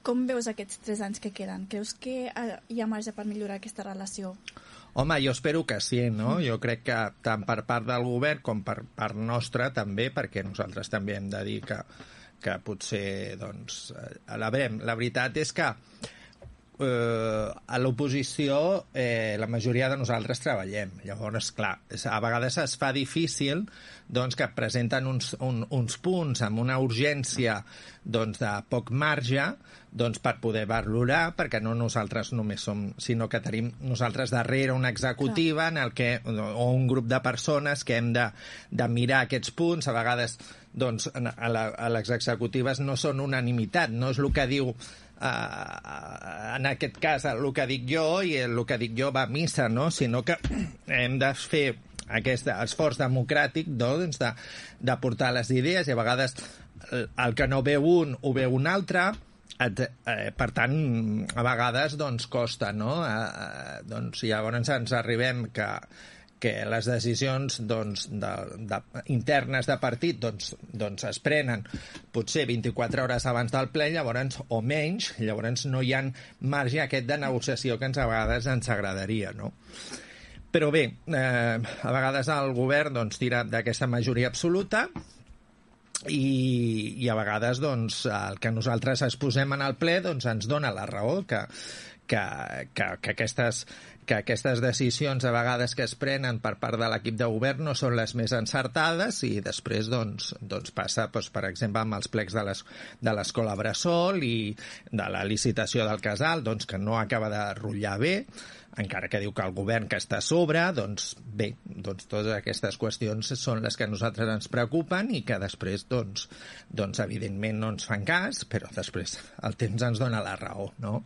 Com veus aquests 3 anys que queden? Creus que hi ha marge per millorar aquesta relació? Home, jo espero que sí, no? Jo crec que tant per part del govern com per part nostra també, perquè nosaltres també hem de dir que potser, doncs, la veritat és que a l'oposició la majoria de nosaltres treballem. Llavors, clar, a vegades es fa difícil doncs, que presenten uns punts amb una urgència doncs, de poc marge doncs, per poder valorar, perquè no nosaltres només som, sinó que tenim nosaltres darrere una executiva en el que, o un grup de persones que hem de mirar aquests punts. A vegades doncs, a les executives no són unanimitat, no és el que diu en aquest cas el que dic jo i el que dic jo va a missa, no? Sinó que hem de fer aquest esforç democràtic doncs, de portar les idees i a vegades el que no veu un ho veu un altre. Per tant, a vegades doncs, costa, no? Doncs, llavors ens arribem que les decisions doncs, internes de partit doncs es prenen potser 24 hores abans del ple, llavors, o menys, llavors no hi ha marge aquest de negociació que a vegades ens agradaria, no? Però bé, a vegades el govern doncs, tira d'aquesta majoria absoluta i a vegades doncs, el que nosaltres exposem en el ple doncs, ens dona la raó que aquestes decisions a vegades que es prenen per part de l'equip de govern no són les més encertades i després doncs passa, doncs, per exemple, amb els plecs de l'escola Bressol i de la licitació del casal, doncs, que no acaba de rotllar bé, encara que diu que el govern que està a sobre, doncs bé, doncs totes aquestes qüestions són les que a nosaltres ens preocupen i que després, doncs evidentment no ens fan cas, però després el temps ens dona la raó, no?